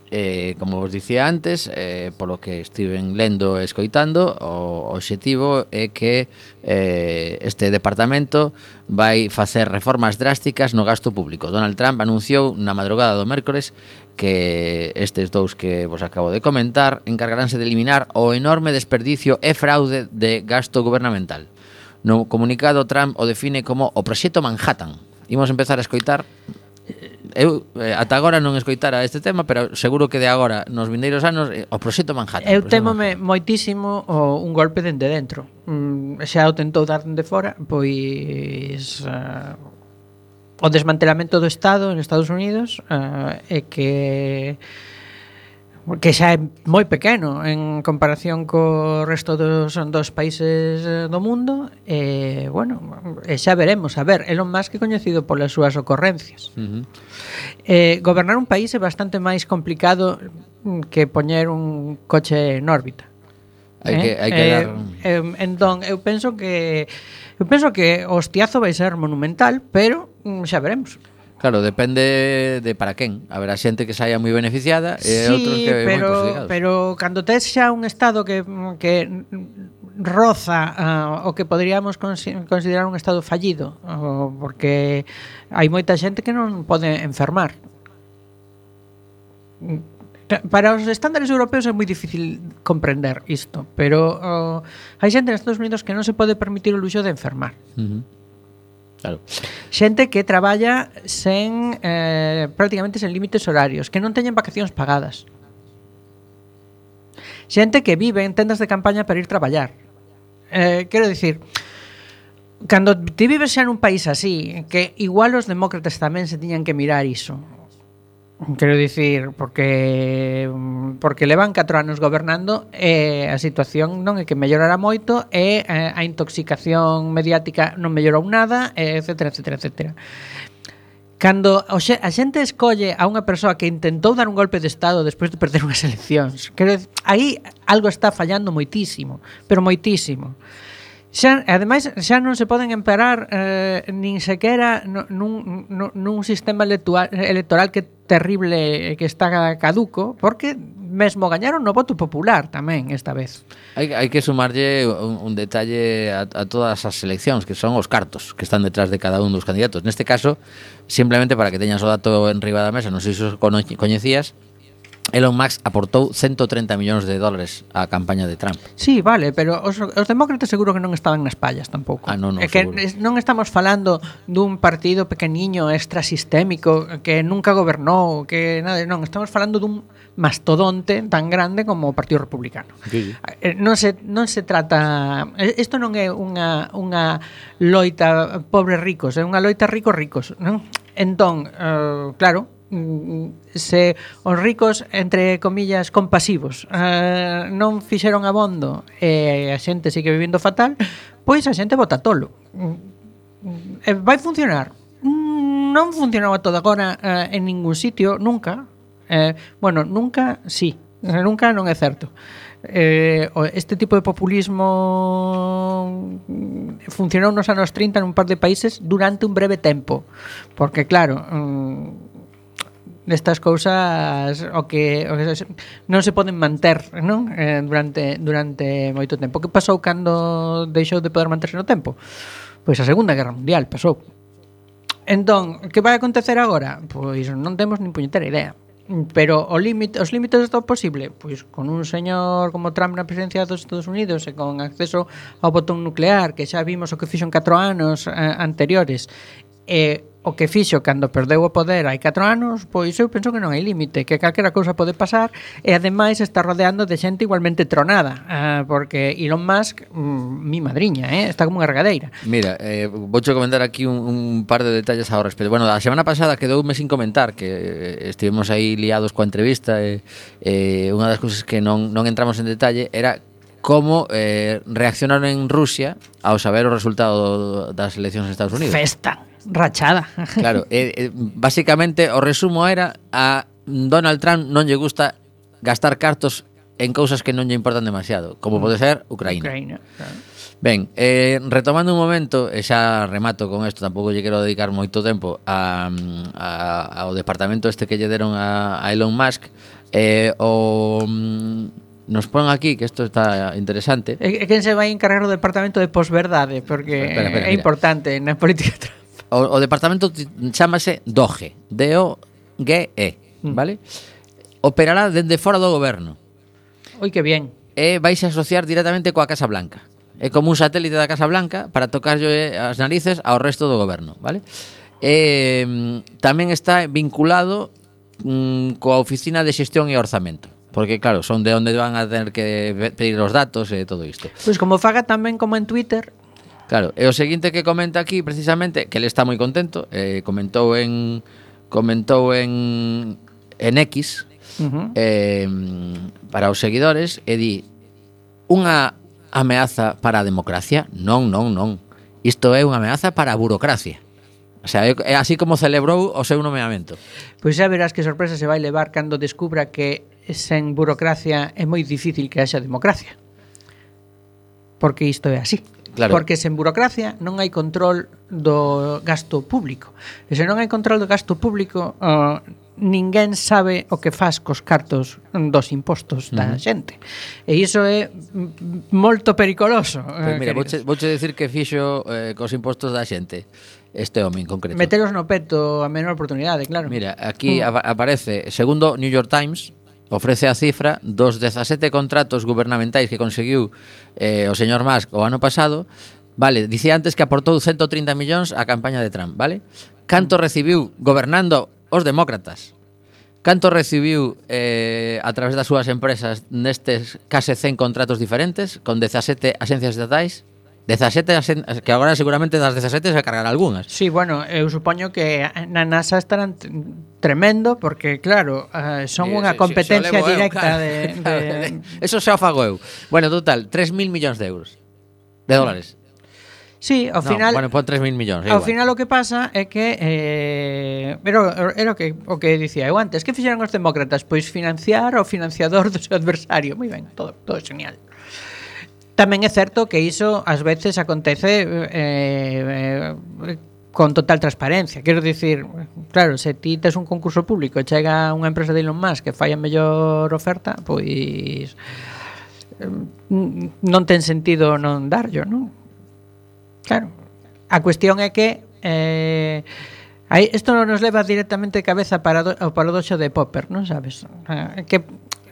Eh, como vos dicía antes, eh, polo que estiven lendo e escoitando, o obxectivo é que eh, este departamento vai facer reformas drásticas no gasto público. Donald Trump anunciou na madrugada do mércores que estes dous que vos acabo de comentar encargaránse de eliminar o enorme desperdicio e fraude de gasto gubernamental. No comunicado, Trump o define como o proxecto Manhattan. Imos empezar a escoitar. eu eh, ata agora non escoitara este tema, pero seguro que de agora nos vindeiros anos eh, o proxecto Manhattan. Eu o proxecto témome moitísimo o, un golpe dende dentro. Mm, xa o tentou dar dende fora, pois uh, o desmantelamento do Estado en Estados Unidos uh, e que que xa é moi pequeno en comparación co resto dos, dos países do mundo e, bueno, e xa veremos. A ver, Elon Musk é coñecido polas súas ocorrencias. Uh-huh. Eh, gobernar un país é bastante máis complicado que poñer un coche en órbita. Hai eh? que, hai que eh, dar... eh, entón, eu penso que eu penso que o hostiazo vai ser monumental, pero mm, xa veremos. Claro, depende de para quen. Haberá xente que saia moi beneficiada e sí, outros que moi pero, perjudicados. pero cando tes xa un estado que, que roza uh, o que poderíamos considerar un estado fallido, uh, porque hai moita xente que non pode enfermar. Para os estándares europeos é moi difícil comprender isto, pero uh, hai xente nos Estados Unidos que non se pode permitir o luxo de enfermar. Uh-huh. Claro. Xente que traballa sen eh, prácticamente sen límites horarios, que non teñen vacacións pagadas. Xente que vive en tendas de campaña para ir traballar. Eh, quero dicir, cando ti vives xa nun país así, que igual os demócratas tamén se tiñan que mirar iso. Quero dicir, porque porque levan catro anos gobernando e a situación non é que mellorara moito e a intoxicación mediática non mellorou nada, etcétera, etcétera, etcétera. Cando a xente escolle a unha persoa que intentou dar un golpe de estado despois de perder unhas eleccións, quero dicir, aí algo está fallando moitísimo, pero moitísimo. Xa, ademais, xa non se poden emperar eh, nin sequera nun, nun, nun sistema electoral, electoral que terrible que está caduco, porque mesmo gañaron no voto popular tamén esta vez. Hai, hai que sumarlle un, un detalle a, a todas as eleccións, que son os cartos que están detrás de cada un dos candidatos. Neste caso, simplemente para que teñas o dato en riba da mesa, non sei se os coñecías, Elon Musk aportou ciento treinta millóns de dólares á campaña de Trump. Sí, vale, pero os, os demócratas seguro que non estaban nas pallas tampouco. Ah, non, non, é que seguro. Non estamos falando dun partido pequeniño extrasistémico que nunca gobernou, que nada, non, estamos falando dun mastodonte tan grande como o Partido Republicano. Sí, sí. Non se non se trata, isto non é unha unha loita pobres ricos, é unha loita ricos ricos, non? Entón, uh, claro, se os ricos, entre comillas, compasivos uh, non fixeron abondo e a xente sigue vivindo fatal, pois a xente vota tolo. E vai funcionar? Non funcionou a todo agora uh, en ningún sitio, nunca. Eh, bueno, nunca, sí, nunca non é certo. Eh, este tipo de populismo funcionou nos anos trinta nun par de países durante un breve tempo, porque claro, um, nestas cousas o que, o que non se poden manter, non? Eh, durante durante moito tempo. Que pasou cando deixou de poder manterse no tempo? Pois a Segunda Guerra Mundial pasou. Entón, que vai acontecer agora? Pois non temos nin puñetera idea. Pero o límite, os límites do posible, pois con un señor como Trump na presidencia dos Estados Unidos e con acceso ao botón nuclear, que xa vimos o que fixo en catro anos eh, anteriores, e o que fixo cando perdeu o poder hai catro anos, pois eu penso que non hai límite, que calquera cousa pode pasar, e ademais está rodeando de xente igualmente tronada, uh, porque Elon Musk, mm, mi madriña, eh, está como unha regadeira. Mira, eh, vouche comentar aquí un, un par de detalles ao respecto. Bueno, a semana pasada quedoume sin comentar que estivemos aí liados coa entrevista e eh, unha das cousas que non, non entramos en detalle era como eh, reaccionaron en Rusia ao saber o resultado das eleccións en Estados Unidos. Festa rachada. Claro, eh, eh, basicamente o resumo era a Donald Trump non lle gusta gastar cartos en cousas que non lle importan demasiado, como pode ser Ucraína. Ucraína, claro. Ben, eh, retomando un momento, e xa remato con isto, tampouco lle quero dedicar moito tempo a, a, ao departamento este que lle deron a, a Elon Musk, eh, o... Nos pon aquí, que isto está interesante. E quen se vai encargar o departamento de posverdade, porque espera, espera, é mira. importante na política Trump. O, o departamento chámase Doge, D O G E, vale? Operará dende fora do goberno. Oi, que bien. E vais a asociar directamente coa Casa Blanca. É como un satélite da Casa Blanca para tocarlle as narices ao resto do goberno, vale? E mm, tamén está vinculado mm, coa Oficina de Xestión e Orzamento. Porque, claro, son de onde van a tener que pedir os datos e todo isto. Pois como faga tamén como en Twitter. Claro, e o seguinte que comenta aquí precisamente, que ele está moi contento, eh, comentou en comentou en en X, uh-huh. eh, para os seguidores, e di: unha ameaza para a democracia? Non, non, non. Isto é unha ameaza para a burocracia. O sea, é así como celebrou o seu nomeamento. Pois xa verás que sorpresa se vai levar cando descubra que sen burocracia é moi difícil que haxa democracia. Porque isto é así. Claro. Porque sen burocracia non hai control do gasto público. E se non hai control do gasto público, uh, ninguén sabe o que faz cos cartos dos impostos da uh-huh. xente. E iso é molto pericoloso. Pues mira, vouche, vouche decir que fixo eh, cos impostos da xente este home en concreto. Metelos no peto a menor oportunidade, claro. Mira, aquí uh. aparece, segundo New York Times, ofrece a cifra dos dezasete contratos gubernamentais que conseguiu eh, o señor Musk o ano pasado. Vale, dicía antes que aportou ciento trinta millóns á campaña de Trump, vale? Canto recibiu gobernando os demócratas? Canto recibiu eh, a través das súas empresas nestes case cen contratos diferentes con dezasete axencias estatais? dezasete, que agora seguramente das dezasete se cargará algunhas. Sí, bueno, eu supoño que na NASA estarán tremendo porque, claro, uh, son unha competencia si, si directa eu, claro. de, de... Eso xa o fago eu. Bueno, total, tres mil millóns de euros. De dólares. Sí, ao no, final... Bueno, pon tres mil millóns. Ao final o que pasa é que... Eh, pero era o que, o que dicía eu antes. Que fixeron os demócratas? Pois financiar o financiador do seu adversario. Moi ben, todo, todo genial. Tamén é certo que iso ás veces acontece eh, eh, con total transparencia. Quero dicir, claro, se ti tes un concurso público e chega unha empresa de Elon Musk que fai a mellor oferta, pois eh, non ten sentido non darllo, non? Claro. A cuestión é que eh, aí, isto non nos leva directamente cabeza para do, ao paradoxo de Popper, non sabes? Eh, que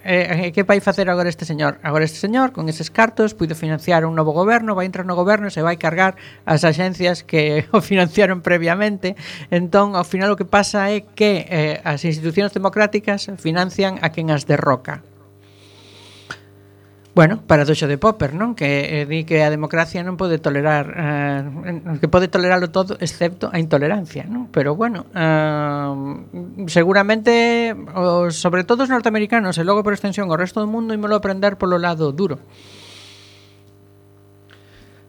Eh, que vai facer agora este señor? Agora este señor, con eses cartos, puido financiar un novo goberno, vai entrar no goberno e se vai cargar as axencias que o financiaron previamente. Entón, ao final o que pasa é que eh, as institucións democráticas financian a quen as derroca. Bueno, paradoxo de Popper, non? Que eh, di que a democracia non pode tolerar eh, que pode tolerarlo todo excepto a intolerancia, non? Pero bueno, eh, seguramente os, sobre todo os norteamericanos e logo por extensión o resto do mundo ímolo aprender polo lado duro.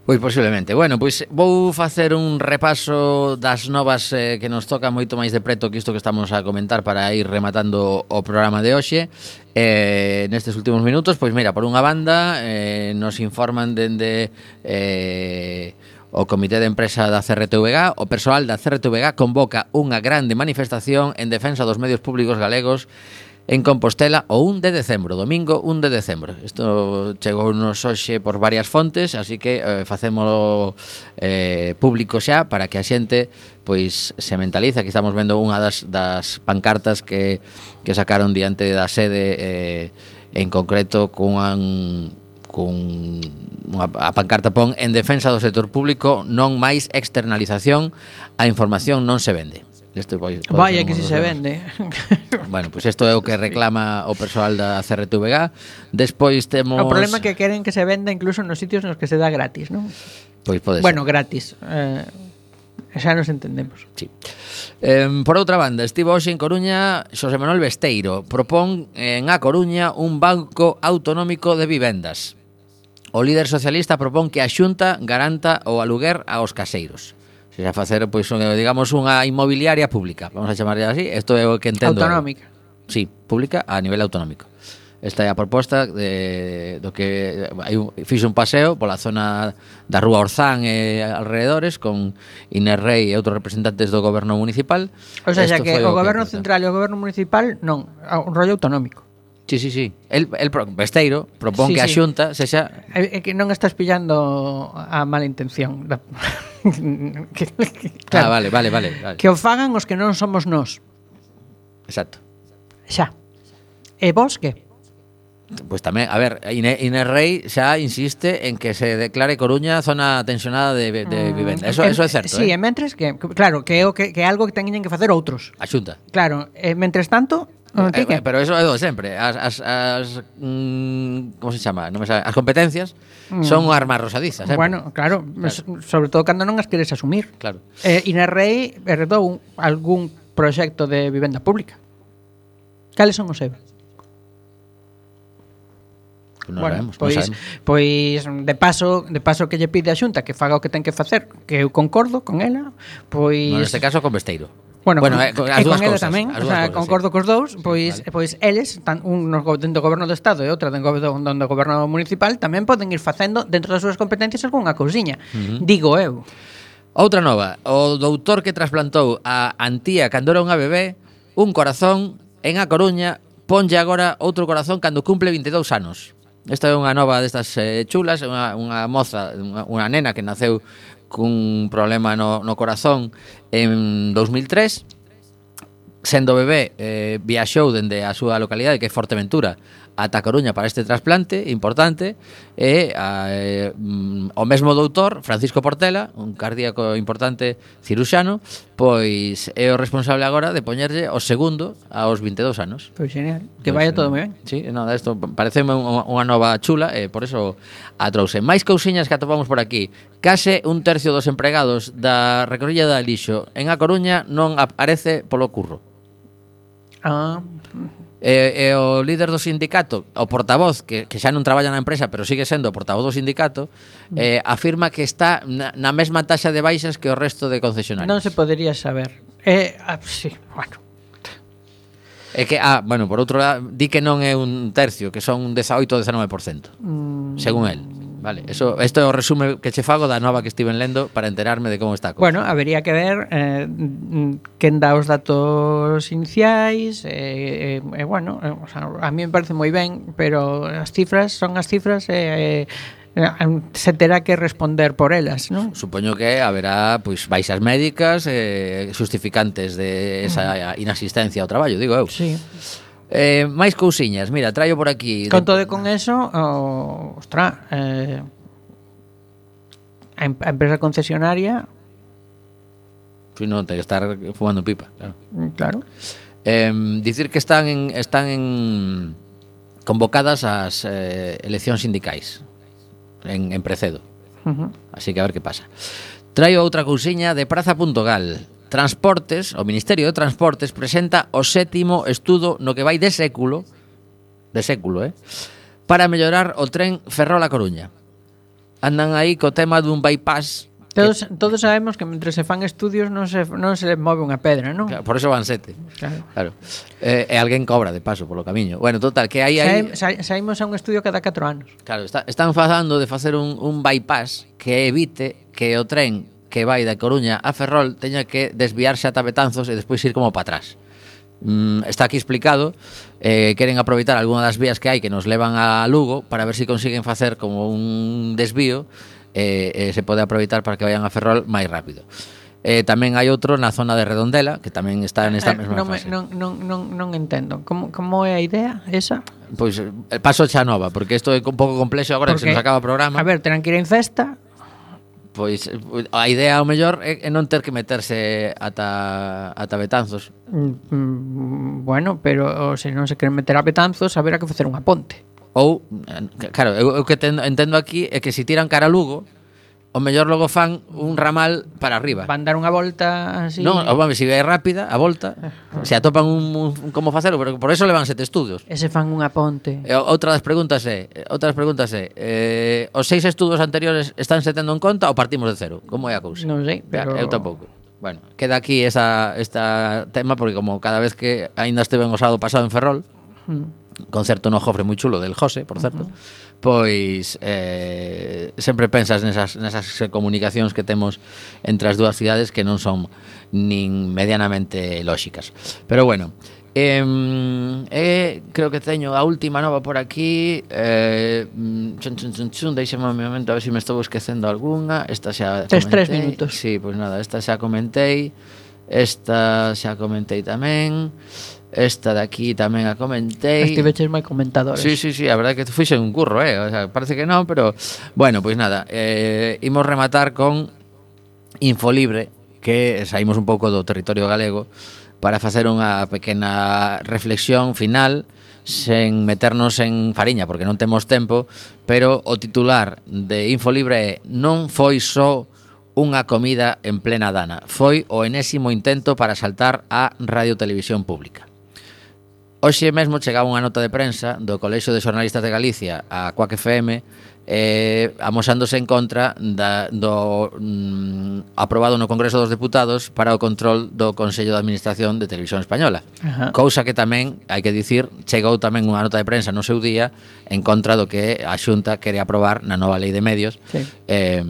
Pois posiblemente. Bueno, pois vou facer un repaso das novas eh, que nos toca moito máis de preto que isto que estamos a comentar para ir rematando o programa de hoxe. Eh, nestes últimos minutos, pois mira, por unha banda eh, nos informan dende eh, o Comité de Empresa da C R T V G, o persoal da C R T V G convoca unha grande manifestación en defensa dos medios públicos galegos en Compostela o un de decembro, domingo un de decembro. Isto chegou nos hoxe por varias fontes, así que eh, facémolo eh, público xa para que a xente pois se mentaliza. Aquí estamos vendo unha das, das pancartas que, que sacaron diante da sede eh, en concreto con con unha, a pancarta pon en defensa do sector público, non máis externalización, a información non se vende. Este pode, pode Vaya que si se vende. Bueno, pois pues isto é o que reclama o persoal da C R T V G. Despois temos... O problema é que queren que se venda incluso nos sitios nos que se dá gratis, non? Pois pode ser. Bueno, gratis. Eh, xa nos entendemos. Sí. Eh, por outra banda, estivo hoxe en Coruña Xosé Manuel Besteiro. Propón en A Coruña un banco autonómico de vivendas. O líder socialista propón que a Xunta garanta o aluguer aos caseiros. Se xa facer, pois, digamos, unha inmobiliaria pública, vamos a chamarle así. Isto é o que entendo. Autonómica. Sí, pública a nivel autonómico. Esta é a proposta de, do que hai un, fixe un paseo pola zona da Rúa Orzán e alrededores con Inés Rei e outros representantes do goberno municipal. O sea, xa que o goberno central e o goberno municipal non, un rollo autonómico. Sí, sí, sí. El, el Besteiro propón sí, que a Xunta sí. sexa... É que non estás pillando a mala intención. que, que, claro, ah, vale, vale, vale, vale. Que o fagan os que non somos nós. Exacto. Xa. E vos que? Pois tamén, a ver, Inés, Inés Rey xa insiste en que se declare Coruña zona tensionada de, de vivenda. Eso, Mm, eso é certo, sí, eh? e mentres que, que claro, que é o que, que é algo que teñen que facer outros. A Xunta. Claro, e mentres tanto, o Eh, ti que? pero eso é do de sempre. As, as, as mm, como se chama? Non me sabe. As competencias Mm. son unha arma arrosadizas, sempre. Bueno, claro, Claro. sobre todo cando non as queres asumir. Claro. Eh, Inés Rey heredou un, algún proxecto de vivenda pública. Cales son os seus? Non bueno, sabemos, non pois, sabemos. pois de paso, de paso que lle pide a Xunta que faga o que ten que facer, que eu concordo con ela, pois No, neste caso con Besteiro. Bueno, bueno con, eh, con- e as con dúas ela cousas, tamén, as o dúas sea, cousas, concordo sí. cos dous, pois vale. pois eles, tan un no go- dentro do goberno do estado e outra dentro do dentro do goberno municipal tamén poden ir facendo dentro das súas competencias algunha cousiña. Uh -huh. Digo eu. Outra nova, o doutor que trasplantou a Antía cando era unha bebé un corazón en A Coruña ponlle agora outro corazón cando cumple vinte e dous anos. Esta é unha nova destas eh, chulas, unha, unha moza, unha, unha nena que naceu cun problema no, no corazón en dos mil tres. Sendo bebé, eh, viaxou dende a súa localidade, que é Forteventura, ata Coruña para este trasplante importante, e a, eh, mm, o mesmo doutor, Francisco Portela, un cardíaco importante ciruxano, pois é o responsable agora de poñerlle o segundo aos vinte e dous anos. Pois genial, que vaya todo moi ben. Sí, no, isto parece unha, unha nova chula e por eso a trouxe. Máis cousiñas que atopamos por aquí. Case un tercio dos empregados da recollida de lixo en A Coruña non aparece polo curro. Ah, E, e o líder do sindicato, o portavoz, que, que xa non traballa na empresa, pero sigue sendo o portavoz do sindicato, eh, afirma que está na, na mesma taxa de baixas que o resto de concesionarios. non se podería saber. Eh, ah, sí, bueno. É que, ah, bueno, por outro lado, di que non é un tercio, que son un dezaoito ou dezenove por cento, Mm, según el. Vale, eso, esto é o resume que che fago da nova que estiven lendo para enterarme de como está a cousa. Bueno, habería que ver eh, mm, quen dá os datos iniciais e eh, eh, bueno, eh, o sea, a mí me parece moi ben, pero as cifras son as cifras e eh, eh, se terá que responder por elas, non? Supoño que haberá pois baixas médicas eh, justificantes de esa inasistencia ao traballo, digo eu. Sí. Eh, máis cousiñas, mira, traio por aquí. Con todo e con eso, oh, ostra, eh, a, em- a empresa concesionaria, Si non, ten que estar fumando pipa, claro. mm, claro. Eh, dicir que están en, están en convocadas as eh, eleccións sindicais en, en Precedo. Uh-huh. Así que a ver que pasa. Traio outra cousiña de Praza.gal. Transportes, o Ministerio de Transportes presenta o sétimo estudo no que vai de século, de século, eh, para mellorar o tren Ferrol a Coruña. Andan aí co tema dun bypass. Todos, todos sabemos que mentre se fan estudios non se, non se move unha pedra, non? Claro, por eso van sete. Claro. Claro. Eh, e alguén cobra de paso polo camiño. Bueno, total, que aí aí Saí- sa- Saímos a un estudio cada catro anos. Claro, está, están falando de facer un, un bypass que evite que o tren que vai da Coruña a Ferrol teña que desviarse ata Betanzos e despois ir como para atrás. Mm, está aquí explicado, eh, queren aproveitar algunha das vías que hai que nos levan a Lugo para ver se si consiguen facer como un desvío e eh, eh, se pode aproveitar para que vayan a Ferrol máis rápido. Eh, tamén hai outro na zona de Redondela que tamén está nesta Eh, mesma non, me, fase. non, non, non, non entendo. Como, como é a idea esa? Pois eh, paso xa nova, porque isto é un pouco complexo agora que se nos acaba o programa. A ver, terán que ir en festa. Pois a idea ao mellor é, é non ter que meterse ata, ata Betanzos. Mm, bueno, pero se non se queren meter a Betanzos, haberá que facer unha ponte. Ou, eh, claro, eu, eu que entendo, entendo aquí é que se tiran cara a Lugo, o mellor logo fan un ramal para arriba. Van dar unha volta así. Non, ou, se é rápida a volta, se atopan un, un, un como facelo, pero por eso levan sete estudios. E se fan unha ponte. E outra das preguntas é, outra das preguntas é, eh, os seis estudos anteriores están se tendo en conta ou partimos de cero? Como é a cousa? Non sei, pero... Eu tampouco. Bueno, queda aquí esa esta tema porque como cada vez que aínda esteve en o sábado pasado en Ferrol, Mm. concerto no Jofre moi chulo del José, por certo, uh -huh. pois eh, sempre pensas nesas, nesas comunicacións que temos entre as dúas cidades que non son nin medianamente lóxicas. Pero bueno, eh, eh, creo que teño a última nova por aquí. eh, chun, chun, chun, chun, deixame un momento a ver se si me estou esquecendo algunha. Esta xa Tes tres comentei. minutos. Sí, pois nada, esta xa comentei. Esta xa comentei tamén. Esta de aquí tamén a comentei. Estiveches moi comentadores. Sí, sí, sí, a verdade que fixe un curro, eh? O sea, parece que non, pero bueno, pois nada, eh, imos rematar con Infolibre, que saímos un pouco do territorio galego para facer unha pequena reflexión final sen meternos en fariña, porque non temos tempo, pero o titular de Infolibre é: non foi só unha comida en plena dana, foi o enésimo intento para saltar a Radio Televisión Pública. Hoxe mesmo chegaba unha nota de prensa do Colexio de Xornalistas de Galicia a Quack F M eh, amosándose en contra da, do mm, aprobado no Congreso dos Deputados para o control do Consello de Administración de Televisión Española. Ajá. Cousa que tamén, hai que dicir, chegou tamén unha nota de prensa no seu día en contra do que a Xunta quere aprobar na nova Lei de Medios, Sí. eh,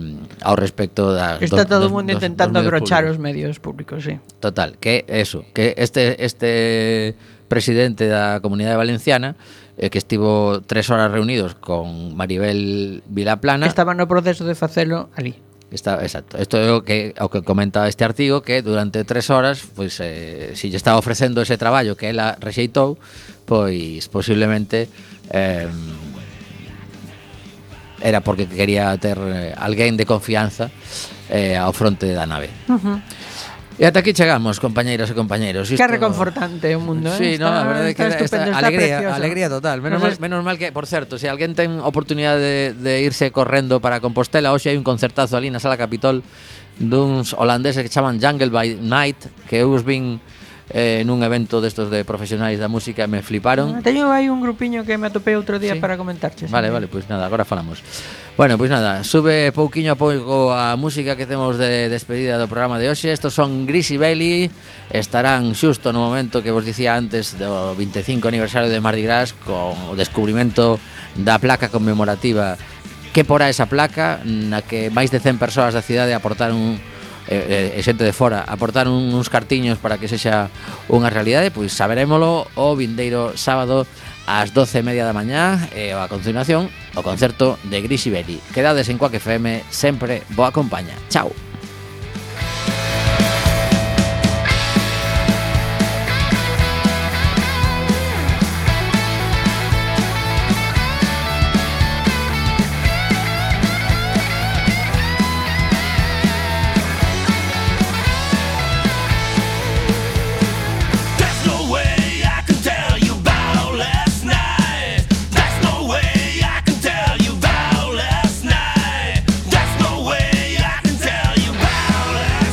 ao respecto da... Está do- todo o dos- mundo dos- intentando dos medios abrochar públicos. os medios públicos, sí. Total, que eso, que este este presidente da Comunidade Valenciana eh, que estivo tres horas reunidos con Maribel Vilaplana. Que estaban no proceso de facelo ali. Está, exacto. Isto é o que o que comenta este artigo, que durante tres horas, pois eh, si lle estaba ofrecendo ese traballo que ela rexeitou, pois posiblemente eh, era porque quería ter eh, alguén de confianza eh, ao fronte da nave. Uh-huh. E ata aquí chegamos, compañeiras e compañeiros. Que reconfortante o mundo, Sí, eh? no, a verdade é que está esta estupendo, está alegría, precioso. alegría total. Menos, Nos mal, menos mal que, por certo, se alguén ten oportunidade de, de irse correndo para Compostela, hoxe hai un concertazo ali na Sala Capitol duns holandeses que chaman Jungle by Night, que eu os vin eh, nun evento destos de profesionais da música e me fliparon. Ah, Teño aí un grupiño que me atopei outro día Sí. para comentarche. Vale, vale, pois pues nada, agora falamos. Bueno, pois pues nada, sube pouquiño a pouco a música que temos de despedida do programa de hoxe. Estos son Greasy Bailey, estarán xusto no momento que vos dicía antes do veinticinco aniversario de Mardi Gras, con o descubrimento da placa conmemorativa. Que porá esa placa na que máis de cen persoas da cidade aportaron e eh, xente de fora aportaron uns cartiños para que sexa unha realidade, pois saberémolo o vindeiro sábado ás doce e media da mañá e a continuación o concerto de Greasy Bailey. Quedades en Quack F M, sempre boa compaña. Chao.